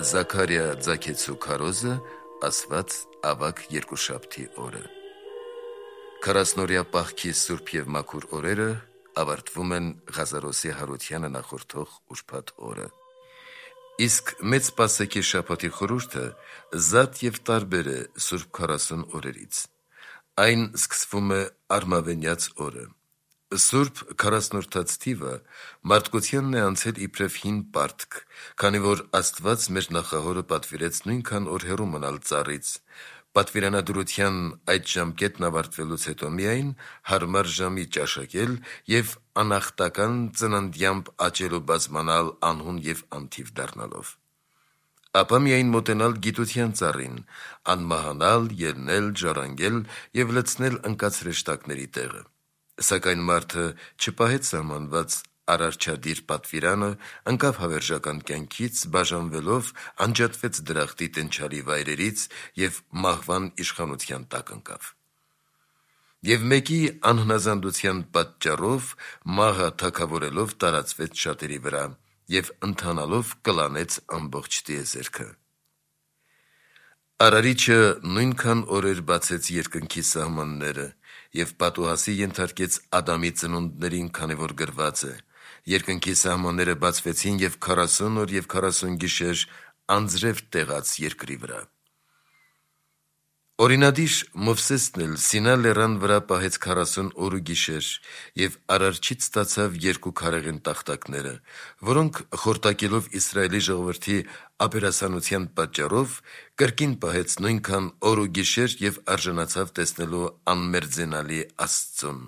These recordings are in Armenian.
Զաքարիա ձագեցու քարոզը ասված ավագ երկուշաբթի օրը։ 40-օրյա պահքի սուրբ և մաքուր օրերը ավարտվում են Ղազարոսի Հարությանը նախորդող ուրբաթ օրը։ Իսկ մեծ Պասեքի շաբաթի խորհուրդը զատ և տարբեր է սուրբ 40 օրերից։ Այն սկսվում է Արմավենյաց օրը։ Սուրբ 40-որդաց թիվը մարդկությանն է անցել իբրև հին պարտք, քանի որ Աստված մեր նախահորը պատվիրեց նույնքան օր հեռու մնալ ծառից, պատվիրանադրության այդ ժամկետն ավարտվելուց հետո միայն հարմար ժամի ճաշակել և անախտական ծննդյամբ աճել ու բազմանալ անհուն և անթիվ դառնալով։ Ապա միայն մոտենալ գիտության ծառին, անմահանալ, ելնել, ժառանգել և լցնել ընկած հրեշտակների տեղը։ Սակայն մարդը չպահեց սահմանված արարչադիր պատվիրանը, ընկավ հավերժական կյանքից, բաժանվելով անջատվեց դրախտի տենչալի վայրերից և մահվան իշխանության տակ ընկավ։ Եվ մեկի անհնազանդության պատճառով մահը թագավորելով տարածվեց շատերի վրա և ընթանալով կլանեց ամբողջ տիեզերքը։ Արարիչը նույնքան օրեր բացեց երկնքի սահմանները և պատուհասի ենթարկեց Ադամի ծնունդներին, քանի որ գրված է. «Երկնքի սահմանները բացվեցին և 40 օր և 40 գիշեր անձրև տեղաց երկրի վրա»։ Օրինադիր Մովսեսն էլ Սինա լեռան վրա պահեց 40 օր ու գիշեր և Արարչից ստացավ 2 քարեղեն տախտակները, որոնք խորտակելով Իսրայելի ժողովրդի ապերասանության պատճառով կրկին պահեց նույնքան օր ու գիշեր և արժանացավ տեսնելու անմերձենալի Աստծուն։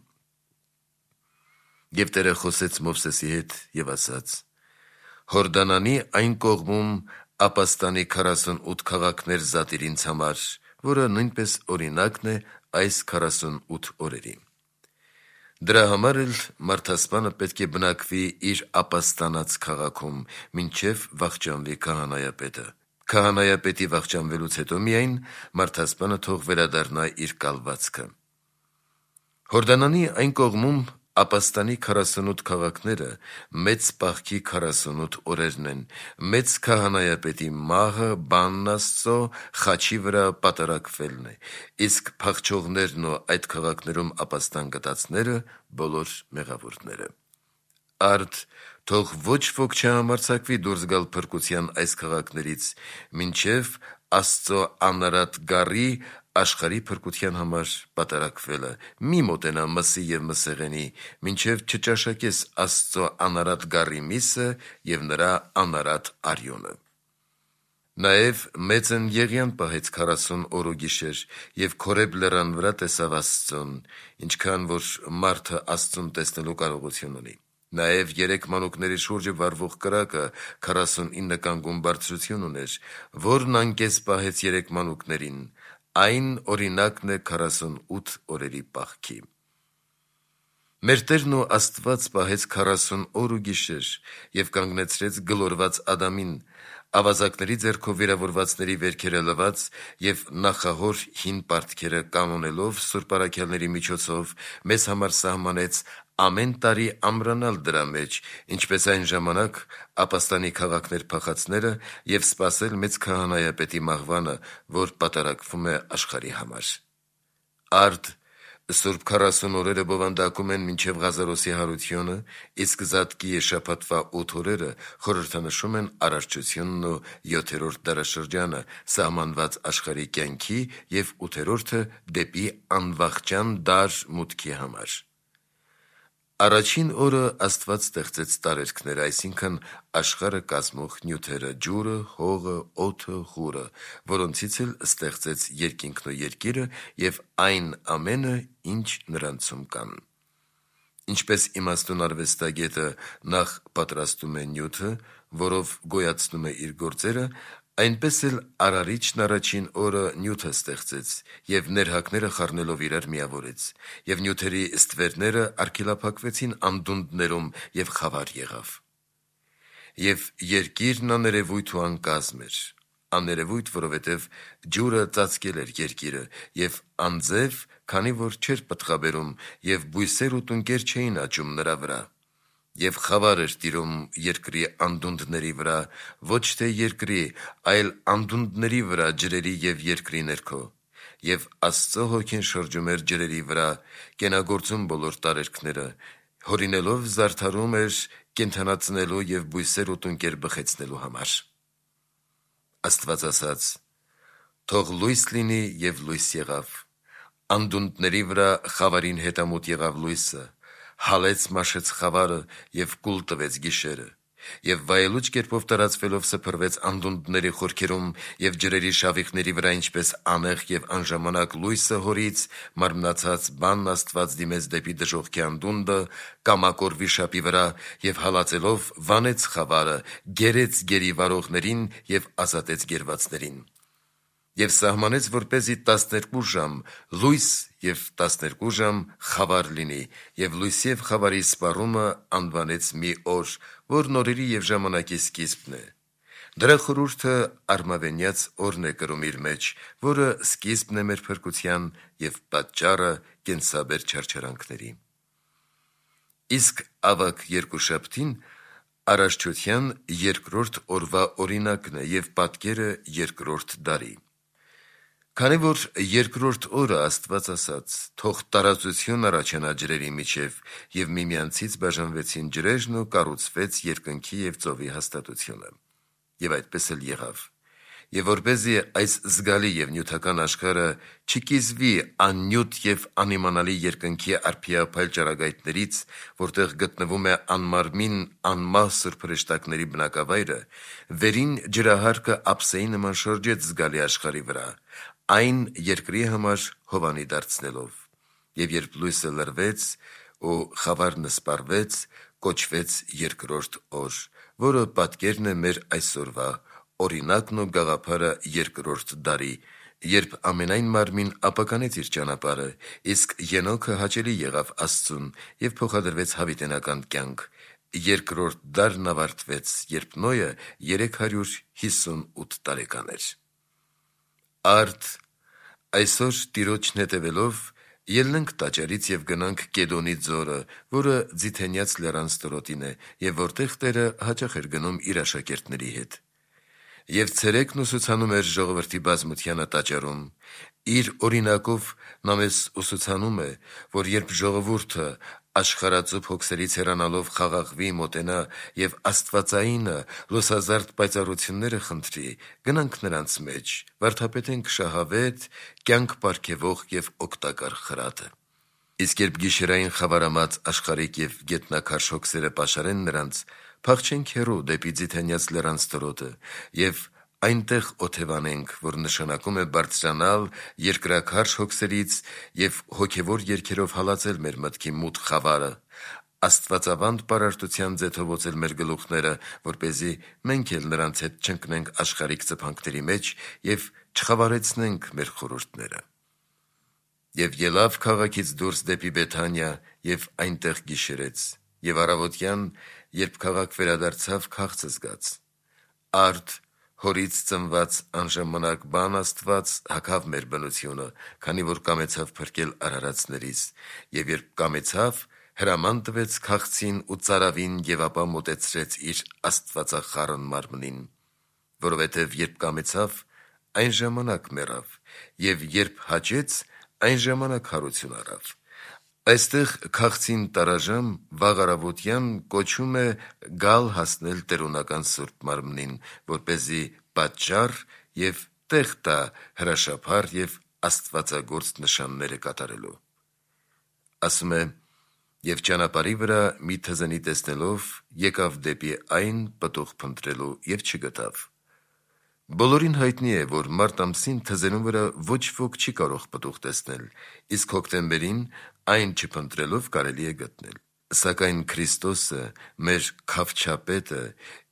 Եվ Տերը խոսեց Մովսեսի հետ և ասաց. «Հորդանանի այն կողմում ապաստանի 48 քաղաքներ զատիր ինձ համար, որը նույնպես օրինակն է այս 48 օրերի։ Դրա համար էլ մարդասպանը պետք է բնակվի իր ապաստանած քաղաքում, մինչև վախճանվի քահանայապետը։ Քահանայապետի վախճանվելուց հետո միայն մարդասպանը թող վերադառնա իր կալվածքը։ Հորդանանի այն կողմում ապաստանի 48 քաղաքները մեծ պահքի 48 օրերն են, մեծ քահանայապետի մահը, բանն Աստծո, խաչի վրա պատարակվելն է, իսկ փախչողներն ու այդ քաղաքներում ապաստան գտածները բոլոր մեղավորները։ Արդ թող ոչ ոք չհամարձակվի դուրս գալ փրկության այս քաղաքներից, մինչև Աստծո անարատ գառի աշխարհի փրկության համար պատարակվելը։ Մի մոտենա մսի և մսեղենի, մինչև չճաշակես Աստծո անարատ գառի միսը և նրա անարատ արյունը։ Նաև մեծն Եղիան պահեց 40 օր ու գիշեր և Քորեբ լեռան վրա տեսավ Աստծուն, ինչքան որ մարդը Աստծուն տեսնելու կարողություն ունի։ Նաև 3 մանուկների շուրջը վառվող կրակը 49 կանգուն բարձրություն ուներ, որն անկես պահեց 3 մանուկներին, այն օրինակն է 48 օրերի պահքի։ Մեր Տերն ու Աստված պահեց 40 օր ու գիշեր և կանգնեցրեց գլորված Ադամին, ավազակների ձեռքով վիրավորվածների վերքերը լվաց և նախահոր հին պարտքերը կանոնելով սուրբ առաքյալների միջոցով մեզ համար սահմանեց ամեն տարի ամրանալ դրա մեջ, ինչպես այն ժամանակ ապաստանի քաղաքներ փախածները և սպասել մեծ քահանայապետի մահվանը, որ պատարակվում է աշխարհի համար։ Արդ սուրբ 40 օրերը բովանդակում են մինչև Ղազարոսի Հարությունը, իսկ Զատկի շաբաթվա 8 օրերը խորհրդանշում են արարչությունն ու 7-րդ դարաշրջանը, սահմանված աշխարհի կյանքի և 8-րդը դեպի անվախճան դար մուտքի համար։ Առաջին օրը Աստված ստեղծեց տարերքները, այսինքն աշխարհը կազմող նյութերը՝ ջուրը, հողը, օդը, ղուրը, որոնցից էլ ստեղծեց երկինքն ու երկիրը և այն ամենը, ինչ նրանցում կան։ Ինչպես իմաստուն արվեստագետը նախ պատրաստում է նյութը, որով գոյացնում է իր գործերը, այնպես էլ Արարիչն առաջին օրը նյութը ստեղծեց և ներհակները խառնելով իրար միավորեց, և նյութերի ստվերները արգելափակվեցին անդունդներում և խավար եղավ։ Եվ երկիրն աներևույթ ու անկազմ էր, աներևույթ, որովհետև ջուրը ծածկել էր երկիրը, և անձև, քանի որ չէր պտղաբերում, և բույսեր ու տնկեր չէին աճում նրա վրա։ եւ խավար էր տիրում երկրի անդունդների վրա, ոչ թե երկրի, այլ անդունդների վրա ջրերի եւ երկրի ներքո, եւ Աստծո հոգին շրջում էր ջրերի վրա, կենագործում բոլոր տարերքները, հորինելով զարդարում էր կենդանացնելու եւ բույսեր ու տունկեր բխեցնելու համար։ Աստված ասաց. «Թող լույս լինի» եւ լույս եղավ։ Անդունդների վրա խավարին հետամուտ եղավ լույսը, հալեց մաշեց խավարը եւ կուլ տվեց գիշերը, եւ վայելուչ կերպով տարածվելով սփռվեց անդունդների խորքերում եւ ջրերի շավիղների վրա, ինչպես անեղ եւ անժամանակ լույսը հորից, մարմնացած բանն Աստված դիմեց դեպի դժոխքի անդունդը, կամակոր վիշապի վրա եւ հալածելով վանեց խավարը, գերեց գերի վարողներին եւ ազատեց գերվածներին։ Եվ սահմանեց, որպեսզի 12 ժամ լույս եւ 12 ժամ խավար լինի, եւ լույսի եւ խավարի սպառումը անվանեց մի օր, որ նորերի եւ ժամանակի սկիզբն է։ Դրա խորհուրդը արմավենյաց օրն է կրում իր մեջ, որը սկիզբն է մեր փրկության եւ պատճառը կենսաբեր չարչարանքների։ Իսկ ավագ երկուշաբթին Արարչության երկրորդ օրվա օրինակն է եւ պատկերը երկրորդ դարի։ Քանի որ երկրորդ օրը Աստված ասաց. «Թող տարածություն առաջանա ջրերի միջև», եւ միմյանցից բաժանվեցին ջրերն ու կառուցվեց երկնքի եւ ծովի հաստատությունը։ Եվ այդպես էլ եղավ։ Եվ որպեսզի այս զգալի եւ նյութական աշխարհը չկիզվի աննյութ եւ անիմանալի երկնքի արփիափայլ ճառագայթներից, որտեղ գտնվում է անմարմին անմահ սուրբ հրեշտակների բնակավայրը, վերին ջրահարկը ափսեի նման շրջեց զգալի աշխարհի վրա, այն երկրի համար հովանի դարձնելով։ Եվ երբ լույսը լրվեց ու խավարն սպառվեց, կոչվեց երկրորդ օր, որը պատկերն է մեր այսօրվա օրինակն ու գաղափարը երկրորդ դարի, երբ ամենայն մարմին ապականեց իր ճանապարհը, իսկ Ենոքը հաճելի եղավ Աստծուն եւ փոխադրվեց հավիտենական կյանք։ Երկրորդ դարն ավարտվեց, երբ Նոյը 358 տարեկան էր։ Արդ այսօր Տիրոջն հետևելով ելնենք տաճարից եւ գնանք Կեդոնի ձորը, որը Ձիթենյաց լեռան ստորոտին է, եւ որտեղ Տերը հաճախ էր գնում իր աշակերտների հետ։ Եվ ցերեկն ուսուցանում էր ժողովրդի բազմությանը տաճարում։ Իր օրինակով նա մեզ ուսուցանում է, որ երբ ժողովուրդը աշխարհածուփ հոգսերից հեռանալով խաղաղվի, մոտենա եւ Աստվածայինը լուսազարդ պայծառությունները խնդրի, գնանք նրանց մեջ, վարդապետենք շահավետ, կյանք պարգևող եւ օգտակար խրատը։ Իսկ երբ գիշերային խավարամած աշխարհիկ եւ գետնաքարշ հոգսերը պաշարեն նրանց, փախչենք հեռու դեպի Ձիթենյաց լեռան ստորոտը եւ այնտեղ օթևանենք, որ նշանակում է բարձրանալ երկրաքարշ հոգսերից եւ հոգեվոր երգերով հալածել մեր մտքի մութ խավարը, աստվածավանդ պարարտության ձեթովոցել մեր գլուխները, որպեսզի մենք էլ նրանց հետ չընկնենք աշխարհիկ ծփանքների մեջ եւ չխավարեցնենք մեր խորհուրդները։ Եվ ելավ քաղաքից դուրս դեպի Բեթանիա եւ այնտեղ գիշերեց, եւ առավոտյան, երբ քաղաք վերադարձավ, քաղց զգաց։ Արդ հորից ծնված անժամանակ բան Աստված հագավ մեր բնությունը, քանի որ կամեցավ փրկել արարածներից, եւ երբ կամեցավ, հրաման տվեց քաղցին ու ծարավին եւ ապա մոտեցրեց իր աստվածախառն մարմնին, որովհետեւ երբ կամեցավ, այն ժամանակ մեռավ, եւ երբ հաճեց, այն ժամանակ հարություն առավ։ Այստեղ քաղցին տարաժամ վաղ առավոտյան կոչում է գալ հասնել տերունական սուրբ մարմնին, որպեսզի պատճառ եւ տեղ տա հրաշափառ եւ աստվածագործ նշանները կատարելու։ Ասում է. «Եվ ճանապարհի վրա մի թզենի տեսնելով եկավ դեպի այն պտուղ փնտրելու եւ չգտավ»։ Բոլորին հայտնի է, որ մարտ ամսին թզենու վրա ոչ ոք չի կարող պտուղ տեսնել, իսկ հոկտեմբերին այն չփնտրելով կարելի է գտնել։ Սակայն Քրիստոսը, մեր քավչապետը,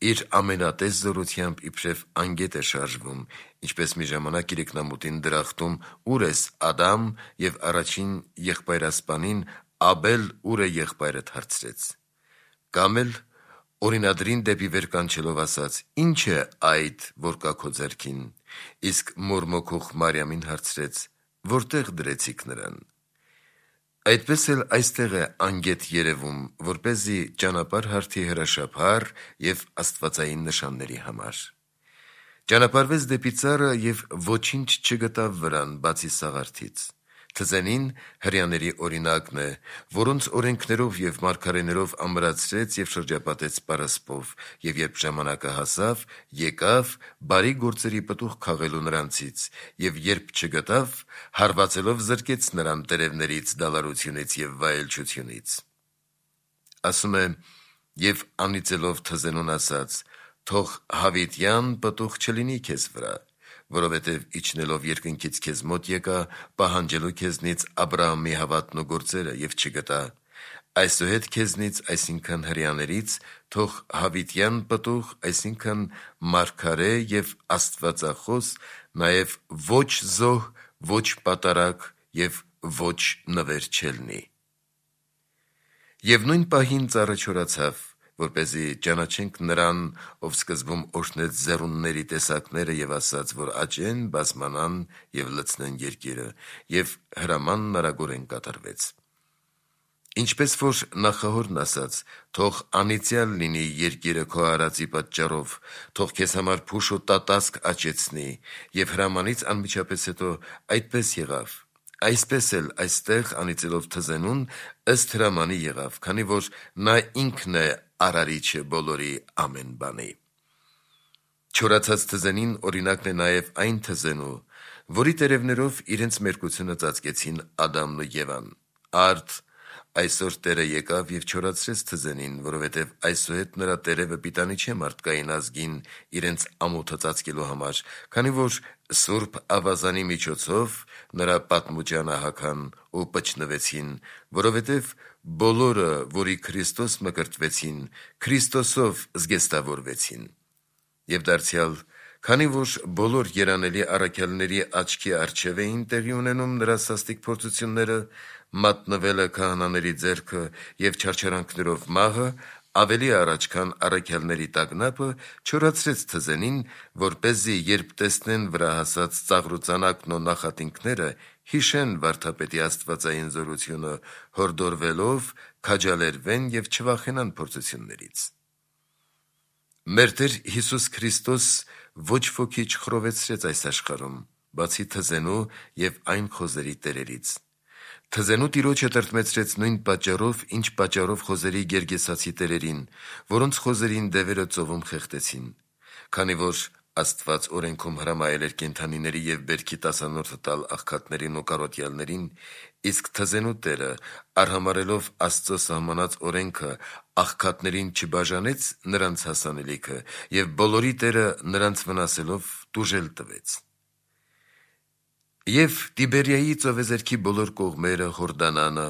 իր ամենատես զորությամբ իբրև անգետ է շարժվում, ինչպես մի ժամանակ իրիկնամուտին դրախտում ուր ես Ադամ եւ առաջին եղբայրասպանին Աբել ուր է եղբայրդ հարցրեց։ Կամ էլ օրինադրին դեպի վեր կանչելով ասաց. «Ինչ է այդ, որ կա քո ձեռքին», իսկ մորմոքող Մարիամին հարցրեց. «Որտեղ դրեցիք նրան»։ Այդպես էլ այստեղ է անգետ երևում, որպեսզի ճանապարհ հարթի հրաշափառ և աստվածային նշանների համար։ Ճանապարհվեց դեպի ծառը և ոչինչ չգտավ վրան, բացի սաղարթից։ Թզենին հրեաների օրինակն է, որոնց օրենքներով և մարգարեներով ամրացրեց և շրջապատեց պարսպով, և երբ ժամանակը հասավ, եկավ բարի գործերի պտուղ քաղելու նրանցից, և երբ չգտավ, հարվածելով զրկեց նրան տերևներից, դալարությունից և վայելչությունից։ Ասում է. «Եվ անիծելով թզենուն ասաց. թող հավիտյան պտուղ չլինի քեզ վրա, որովհետև իջնելով երկնքից քեզ մոտ եկա, պահանջելու քեզնից Աբրահամի հավատն ու գործերը, և չգտա։ Այսուհետ քեզնից, այսինքն հրեաներից, թող հավիտյան պտուղ, այսինքն մարգարե և աստվածախոս, նաև ոչ զոհ, ոչ պատարագ և ոչ նվեր չելնի»։ Եվ նույն պահին ծառը չորացավ, որպեսզի ճանաչենք նրան, ով սկզբում օրհնեց ձեռունների տեսակները և ասաց, որ աճեն, բազմանան և լցնեն երկիրը, և հրամանն արագորեն կատարվեց։ Ինչպես որ նախահորն ասաց. «Թող անիծյալ լինի երկիրը քո արածի պատճառով, թող քեզ համար փուշ ու տատասկ աճեցնի», և հրամանից անմիջապես հետո այդպես եղավ, այսպես էլ այստեղ անիծելով թզենուն, ըստ հրամանի եղավ, քանի որ նա ինքն է արարիչը բոլորի ամեն բանի։ Չորացած թզենին օրինակն է նաև այն թզենու, որի տերևներով իրենց մերկությունը ծածկեցին Ադամն ու Եվան։ Արդ այսօր Տերը եկավ և չորացրեց թզենին, որովհետև այսուհետ նրա տերևը պիտանի չէ մարդկային ազգին իրենց ամոթը ծածկելու համար, քանի որ սուրբ ավազանի միջոցով նրա պատմուճանը հագան ու պչնվեցին, որովհետև բոլորը, որի Քրիստոս մկրտվեցին, Քրիստոսով զգեստավորվեցին։ Եվ դարձյալ, քանի որ բոլոր երանելի առաքյալների աչքի առջև էին տեղի ունենում նրա սաստիկ փորձությունները, մատնվելը քահանաների ձեռքը և չարչարանքներով մահը, ավելի առաջ, քան առաքյալների տագնապը, չորացրեց թզենին, որպեսզի երբ տեսնեն վրա հասած ծաղրուծանակն ու նախատինքները, հիշեն վարդապետի աստվածային զորությունը, հորդորվելով քաջալերվեն և չվախենան փորձություններից։ Մեր Տեր Հիսուս Քրիստոս ոչ ոքի չխռովեցրեց այս աշխարհում, բացի թզենու և այն խոզերի տերերից։ Թզենու տիրոջը տրտմեցրեց նույն պատճառով, ինչ պատճառով խոզերի գերգեսացի տերերին, որոնց խոզերին դևերը ծովում խեղդեցին։ Քանի որ Աստված օրենքում հրամայել էր կենդանիների և բերքի տասանորդը տալ աղքատներին ու կարոտյալներին, իսկ թզենու տերը, արհամարհելով Աստծո սահմանած օրենքը, աղքատներին չբաժանեց նրանց հասանելիքը և բոլորի Տերը նրանց վնասելով տուժել տվեց։ Եվ Տիբերիայի ծովեզերքի բոլոր կողմերը, Հորդանանը,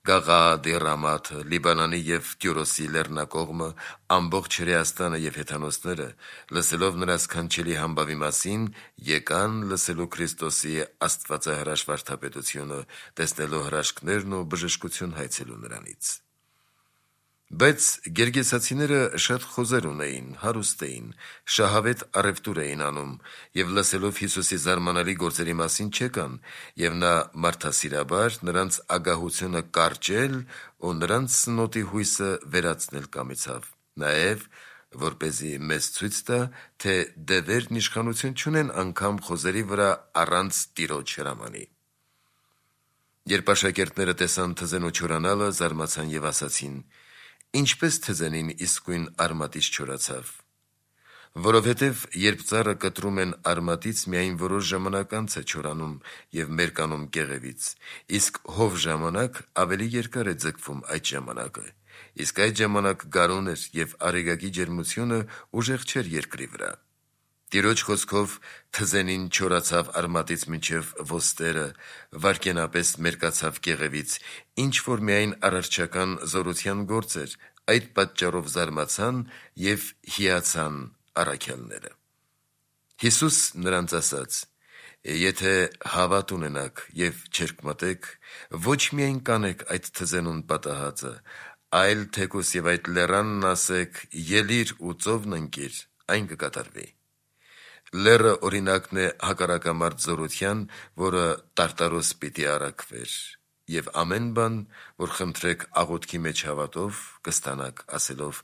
Գաղաադի Ռամաթը, Լիբանանի և Տյուրոսի լեռնակողմը, ամբողջ Հրեաստանը և հեթանոսները, լսելով նրա սքանչելի համբավի մասին, եկան լսելու Քրիստոսի աստվածահրաշ վարդապետությունը, տեսնելու հրաշքներն ու բժշկություն հայցելու նրանից։ Բայց գերգեսացիները շատ խոզեր ունեին, հարուստ էին, շահավետ առևտուր էին անում, և լսելով Հիսուսի զարմանալի գործերի մասին չեկան, և նա մարդասիրաբար նրանց ագահությունը կարճել ու նրանց սնոտի հույսը վերացնել կամեցավ, նաև որպեսզի մեզ ցույց տա, թե դևերն իշխանություն չունեն անգամ խոզերի վրա առանց Տիրոջ հրամանի։ Երբ աշակերտները տեսան թզենու չորանալը, զարմացան և ասացին. «Ինչպես թզենին իսկույն արմատից չորացավ»։ Որովհետև երբ ծառը կտրում են արմատից, միայն որոշ ժամանակ անց է չորանում և մերկանում կեղևից, իսկ հով ժամանակ ավելի երկար է ձգվում այդ ժամանակը, իսկ այդ ժամանակ գարուն էր և արեգակի ջերմությունը ուժեղ չէր երկրի վրա։ Տիրոջ խոսքով թզենին չորացավ արմատից մինչև ոստերը, վայրկենապես մերկացավ կեղևից, ինչ որ միայն արարչական զորության գործ էր, այդ պատճառով զարմացան և հիացան առաքյալները։ Հիսուս նրանց ասաց. «Եթե հավատ ունենաք և չերկմտեք, ոչ միայն կանեք այդ թզենուն պատահածը, այլ թեկուզ և այդ լեռանն ասեք. «Ելիր ու ծովն ընկիր», այն կկատարվի»։ Լեռը օրինակն է հակառակամարտ զորության, որը տարտարոս պիտի առաքվեր, եւ ամեն բան, որ խնդրեք աղոթքի մեջ հավատով, կստանաք, ասելով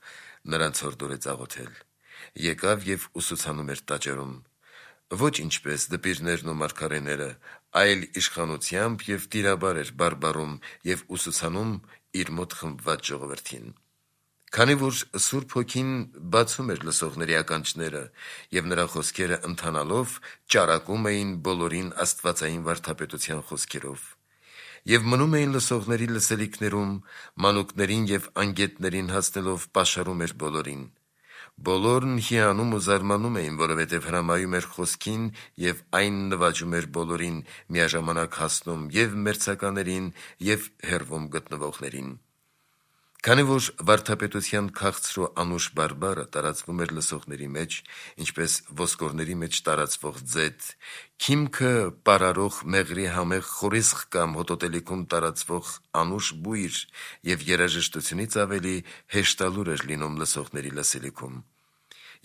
նրանց հորդորեց աղոթել։ Եկավ եւ ուսուցանում էր տաճարում, ոչ ինչպես դպիրներն ու մարգարեները, այլ իշխանությամբ եւ տիրաբար էր բարբարում եւ ուսուցանում իր մոտ խմբված ժողովրդին։ Քանի որ Սուրբ Հոգին բացում էր լսողների ականջները եւ նրա խոսքերը ընթանալով ճարակում էին բոլորին աստվածային վարդապետության խոսքերով, եւ մնում էին լսողների լսելիքներում, մանուկներին եւ անգետներին հասնելով պաշարում էր բոլորին։ Բոլորն հիանում ու զարմանում էին, որովհետև հրամայում էր խոսքին եւ այն նվաճում էր բոլորին, միաժամանակ հասնում եւ մերձականերին եւ հեռվում գտնվողներին։ Քանի որ վարդապետության քաղցր ու անուշ բարբարը տարածվում էր լսողների մեջ, ինչպես ոսկորների մեջ տարածվող ձետ, քիմքը պարարող մեղրի համեղ խորիսխ կամ հոտոտելիքում տարածվող անուշ բույր եւ երաժշտությունից ավելի հեշտալուր էր լինում լսողների լսելիքում։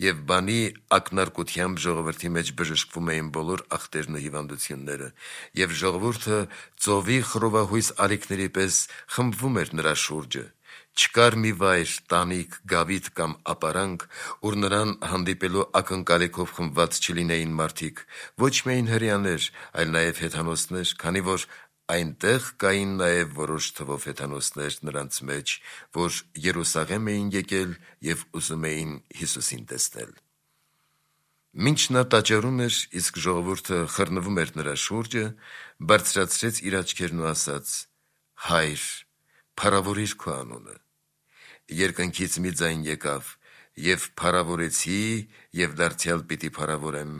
Եվ բանի ակնարկությամբ ժողովրդի մեջ բժշկվում էին բոլոր ախտերն ու հիվանդությունները, եւ ժողովուրդը ծովի խռովահույս ալիքների պես խմբվում էր նրա շուրջը։ Չկար մի վայր, տանիք, գավիթ կամ ապարանք, ուր նրան հանդիպելու ակնկալիքով խմբված չլինեին մարդիկ, ոչ միայն հրեաներ, այլ նաև հեթանոսներ, քանի որ այնտեղ կային նաև որոշ թվով հեթանոսներ նրանց մեջ, որ Երուսաղեմ էին եկել եւ ուզում էին Հիսուսին տեսնել։ Մինչ նա տաճարում էր, իսկ ժողովուրդը խռնվում էր նրա շուրջը, բարձրացրեց իր աչքերն ու ասաց. «Հայր, փառավորիր քո անունը»։ Երկնքից մի ձայն եկավ. «Եվ փառավորեցի, եւ դարձյալ պիտի փառավորեմ»։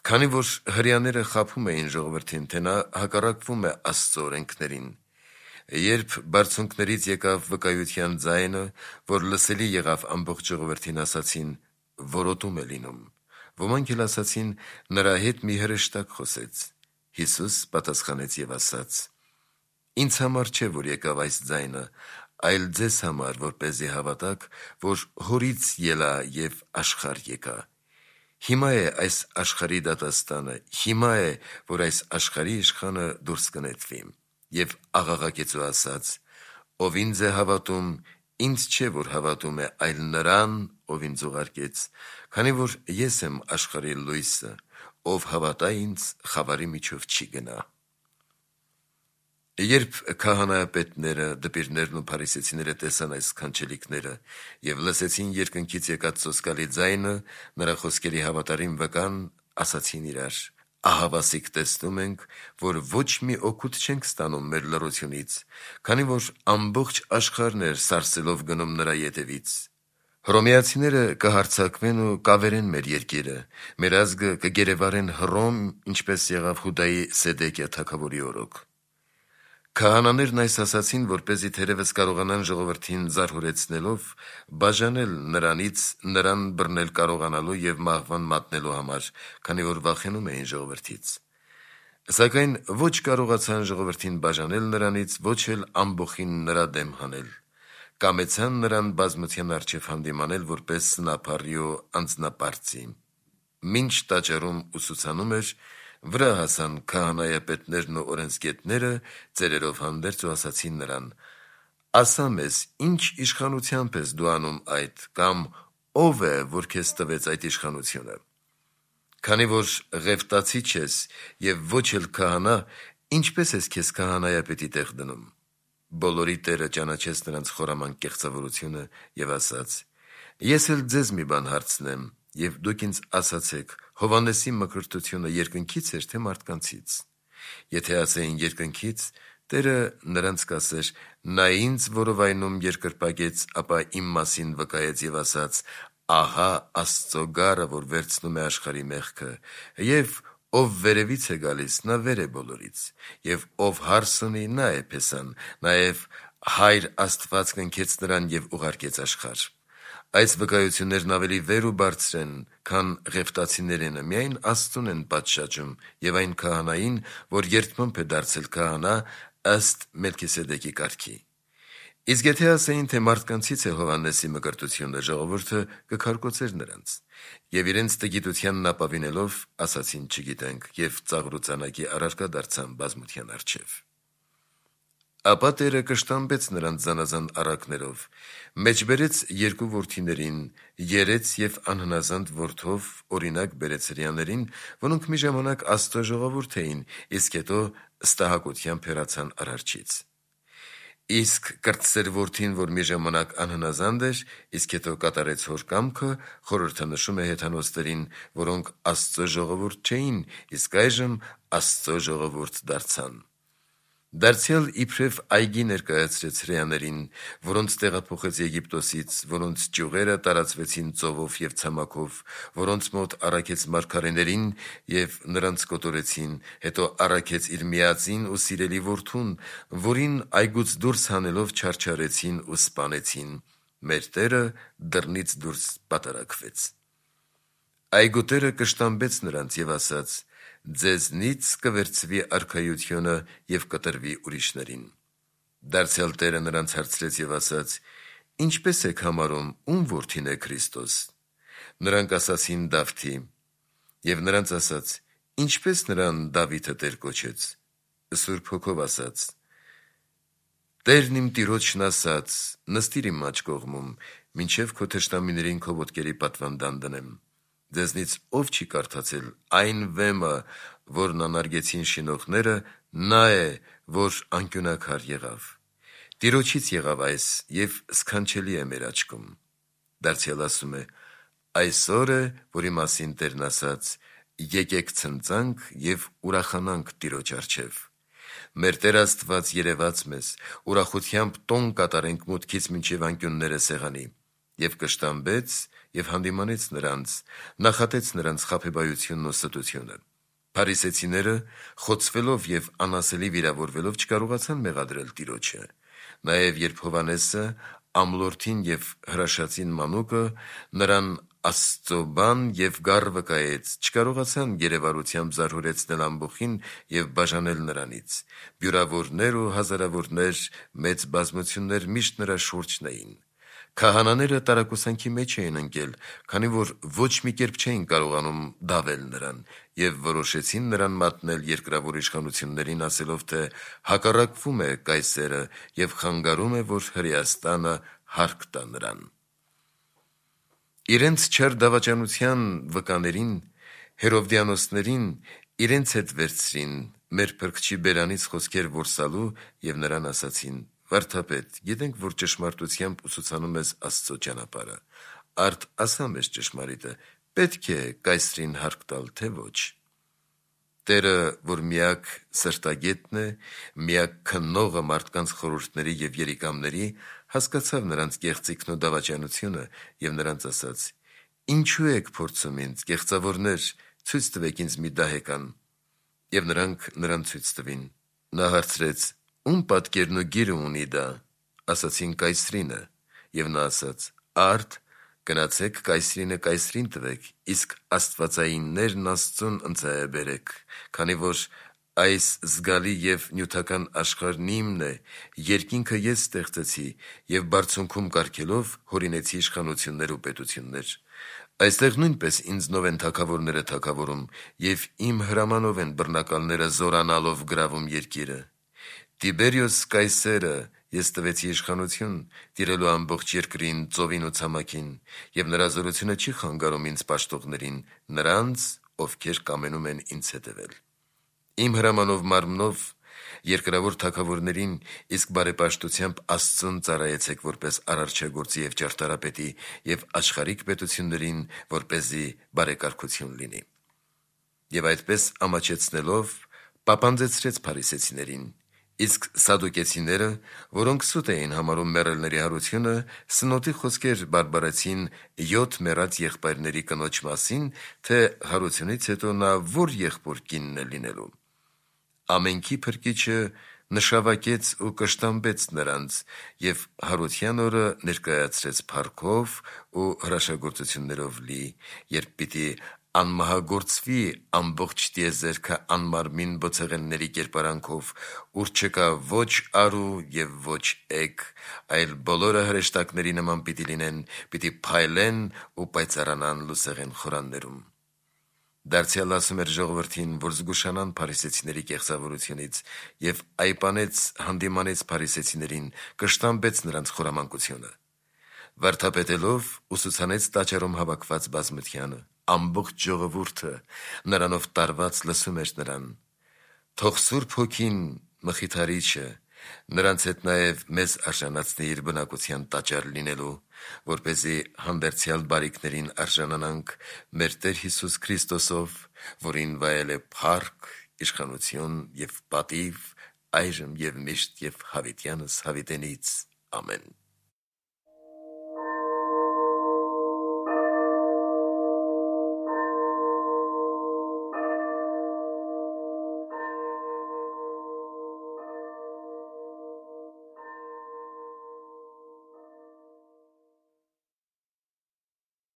Քանի որ հրեաները խաբում էին ժողովրդին, թե նա հակառակվում է Աստծո օրենքներին, երբ բարձունքներից եկավ վկայության ձայնը, որ լսելի եղավ ամբողջ ժողովրդին, ասացին. «Որոտում է լինում»։ Ոմանք էլ ասացին. «Նրա հետ մի հրեշտակ խոսեց»։ Հիսուս պատասխանեց եւ ասաց. «Ինձ համար չէ, որ եկավ այս ձայնը, այլ ձեզ համար, որպեսզի հավատաք, որ հորից ելա եւ աշխարհ եկա։ Հիմա է այս աշխարհի դատաստանը, հիմա է, որ այս աշխարհի իշխանը դուրս կնետվի»։ Եվ աղաղակեց ու ասաց. «Ով ինձ է հավատում, ինձ չէ, որ հավատում է, այլ նրան, ով ինձ ուղարկեց, քանի որ ես եմ աշխարհի լույսը, ով հավատա ինձ, խավարի միջով չի գնա»։ Երբ քահանայապետները, դպիրներն ու փարիսեցիները տեսան այս սքանչելիքները եւ լսեցին երկնքից եկած սոսկալի ձայնը, նրա խոսքերի հավատարիմ վկան, ասացին իրար. «Ահավասիկ տեսնում ենք, որ ոչ մի օգուտ չենք ստանում մեր լռությունից, քանի որ ամբողջ աշխարհն էր սարսելով գնում նրա ետևից։ Հռոմեացիները կհարձակվեն ու կավերեն մեր երկիրը, մեր ազգը կգերեվարեն Հռոմ, ինչպես եղավ Հուդայի Սեդեկիա թագավորի օրոք»։ Քահանաներն այս ասացին, որպեսզի թերևս կարողանան ժողովրդին զարհուրեցնելով բաժանել նրանից նրան բռնել կարողանալու եւ մահվան մատնելու համար, քանի որ վախենում էին ժողովրդից։ Սակայն ոչ կարողացան ժողովրդին բաժանել նրանից, ոչ էլ ամբոխին նրա դեմ հանել։ Կամեցան նրան բազմության առջև հանդիմանել որպես սնափառի ու անձնապարծի։ Մինչ տաճարում ուսուցանում էր, վրա հասան քահանայապետներն ու օրենսգետները ծերերով հանդերձ ու ասացին նրան. «Ասա մեզ, ինչ իշխանությամբ ես դու անում այդ, կամ ով է, որ քեզ տվեց այդ իշխանությունը։ Քանի որ ղևտացի չես եւ ոչ էլ քահանա, ինչպես ես քեզ քահանայապետի տեղ դնում»։ Բոլորի Տերը ճանաչեց նրանց խորամանկ կեղծավորությունը եւ ասաց. «Ես էլ ձեզ մի բան հարցնեմ, եւ դուք ինձ ասացեք, Հովհաննեսի մկրտությունը երկնքից էր, թե մարդկանցից։ Եթե ասեին երկնքից, Տերը նրանց կասեր. նա ինձ որովայնում երկրպագեց, ապա իմ մասին վկայեց եւ ասաց. ահա Աստծո գառը, որ վերցնում է աշխարհի մեղքը, եւ ով վերևից է գալիս, նա վեր է բոլորից, եւ ով հարս ունի, նա է Փեսան, նաեւ Հայր Աստված կնքեց նրան եւ ուղարկեց աշխարհ։ Այս վկայություններն ավելի վեր ու բարձր են, քան ղևտացիներինը, միայն Աստծուն են պատշաճում եւ այն քահանային, որ երդմամբ է դարձել քահանա ըստ Մելքիսեդեկի կարգի։ Իսկ եթե ասեին, թե մարդկանցից է Հովհաննեսի մկրտությունը, ժողովուրդը կքարկոծեր նրանց, եւ իրենց տգիտությանն ապավինելով ասացին չգիտենք, եւ ծաղրուծանակի առարկա դարձան բազմության առջև։ Ապա Տերը կշտամբեց նրանց զանազան առակներով, մեջ բերեց երկու որդիներին, երեց և անհնազանդ որդով օրինակ բերեց հրեաներին, որոնք մի ժամանակ Աստծո ժողովուրդ էին, իսկ հետո ստահակությամբ հեռացան Արարչից։ Իսկ կրտսեր որդին, որ մի ժամանակ անհնազանդ էր, իսկ հետո կատարեց հոր կամքը, խորհրդանշում է հեթանոսներին, որոնք Աստծո ժողովուրդ չէին, իսկ այժմ Աստծո ժողովուրդ դարձան։ Դարձյալ իբրև այգի ներկայացրեց հրեաներին, որոնց տեղափոխեց Եգիպտոսից, որոնց ճյուղերը տարածվեցին ծովով և ցամաքով, որոնց մոտ առաքեց մարգարեներին և նրանց կոտորեցին, հետո առաքեց իր միածին ու սիրելի որդուն, որին այգուց դուրս հանելով չարչարեցին ու սպանեցին։ Մեր Տերը դռնից դուրս պատարակվեց։ Այգու տերը կշտամբեց նրանց և ասաց. «Ձեզնից կվերցվի արքայությունը և կտրվի ուրիշներին»։ Դարձյալ Տերը նրանց հարցրեց և ասաց. «Ինչպե՞ս եք համարում, ում որդին է Քրիստոս»։ Նրանք ասացին. «Դավթի»։ Եվ նրանց ասաց. «Ինչպե՞ս նրան Դավիթը Տեր կոչեց»։ Սուրբ Հոգով ասաց. «Տերն իմ Տիրոջն ասաց. նստիր իմ աջ կողմում, մինչև քո թշնամիներին քո ոտքերի պատվանդան դնեմ։ Ձեզնից ով չի կարդացել այն վեմը, որն անարգեցին շինողները, նա է, որ անկյունաքար եղավ։ Տիրոջից եղավ այս և սքանչելի է մեր աչքում»։ Դարձյալ ասում է. «Այսօր է, որի մասին Տերն ասաց. եկեք ցնծանք և ուրախանանք Տիրոջ առջև»։ Մեր Տեր Աստված երևաց մեզ, ուրախությամբ տոն կատարենք մուտքից մինչև անկյունները սեղանի։ Եվ կշտամբեց և հանդիմանեց նրանց, նախատեց նրանց խաբեբայությունն ու ստությունը։ Փարիսեցիները, խոցվելով և անասելի վիրավորվելով, չկարողացան մեղադրել Տիրոջը։ Նաև երբ Հովհաննեսը, ամլորդին և հրաշածին մանուկը նրան Աստծո բան և գառ վկայեց, չկարողացան գերեվարությամբ զարհուրեցնել ամբոխին և բաժանել նրանից։ Բյուրավորներ ու հազարավորներ, մեծ բազմություններ միշտ նրա շուրջն էին։ Քահանաները տարակուսանքի մեջ էին ընկել, քանի որ ոչ մի կերպ չէին կարողանում դավել նրան, և որոշեցին նրան մատնել երկրավոր իշխանություններին, ասելով, թե հակառակվում է Կայսերը և խանգարում է, որ Հրեաստանը հարկ տա նրան։ Իրենց չար դավաճանության վկաներին, Հերովդիանոսներին, իրենց հետ վերցրին մեր Փրկչի բերանից խոսքեր որսալու և նրան ասացին. «Վարդապետ, գիտենք, որ ճշմարտությամբ ուսուցանում ես Աստծո ճանապարհը, արդ ասա մեզ ճշմարիտը, պետք է Կայսրին հարկ տալ, թե ոչ»։ Տերը, որ միակ սրտագետն է, միակ քննողը մարդկանց խորհուրդների և երիկամների, հասկացավ նրանց կեղծիքն ու դավաճանությունը և նրանց ասաց. «Ինչու եք փորձում ինձ, կեղծավորներ, ցույց տվեք ինձ մի դահեկան»։ Եվ նրանք նրան ցույց տվին։ Նա հարցրեց. «Ում պատկերն ու գիրը ունի դա»։ Ասացին. «Կայսրինը»։ Եվ նա ասաց. «Արդ գնացեք Կայսրինը Կայսրին տվեք, իսկ աստվածայիններն Աստծուն ընծայաբերեք, քանի որ այս զգալի և նյութական աշխարհն իմն է, երկինքը ես ստեղծեցի և բարձունքում կարգելով հորինեցի իշխանություններ ու պետություններ։ Այստեղ նույնպես ինձնով են թագավորները թագավորում, և իմ հրամանով են բռնակալները զորանալով գրավում երկիրը։ Տիբերիոս Կայսերը ես տվեցի իշխանություն, տիրելու ամբողջ երկրին, ծովին ու ցամաքին, և նրա զորությունը չի խանգարում ինձ պաշտողներին, նրանց, ովքեր կամենում են ինձ հետևել։ Իմ հրամանով մարմնով երկրավոր թագավորներին, իսկ բարեպաշտությամբ Աստծուն ծառայեցեք որպես արարչագործի և ճարտարապետի, և աշխարհիկ պետություններին, որպեսզի բարեկարգություն լինի։ Եվ այդպես ամաչեցնելով պապանձեցրեց փարիսեցիներին։ Իսկ սադուկեցիները, որոնք սուտ էին համարում մեռելների հարությունը, սնոտի խոսքեր բարբարեցին 7 մեռած եղբայրների կնոջ մասին, թե հարությունից հետո նա որ եղբոր կինն է լինելու։ Ամենքի Փրկիչը նշավակեց ու կշտամբեց նրանց և հարության օրը ներկայացրեց փառքով ու հրաշագործություններով լի, երբ պիտի անմահագործվի ամբողջ տիեզերքը անմարմին բոցեղենների կերպարանքով, ուր չկա ոչ արու և ոչ էգ, այլ բոլորը հրեշտակների նման պիտի լինեն, պիտի փայլեն ու պայծառանան լուսեղեն խորաններում։ Դարձյալ ասում էր ժողովրդին, որ զգուշանան փարիսեցիների կեղծավորությունից, եւ այպանեց հանդիմանեց փարիսեցիներին, կշտամբեց նրանց խորամանկությունը։ Վարդապետելով ուսուցանեց տաճարում հավաքված բազմությանը, ամբողջ ժողովուրդը նրանով տարված լսում էր նրան։ Թող Սուրբ Հոգին Մխիթարիչը նրանց հետ նաև մեզ արժանացնի իր բնակության տաճար լինելու, որպեսզի հանդերձյալ բարիքներին արժանանանք մեր Տեր Հիսուս Քրիստոսով, որին վայել է փառք, իշխանություն և պատիվ, այժմ և միշտ և հավիտյանս հավիտենից։ Ամեն։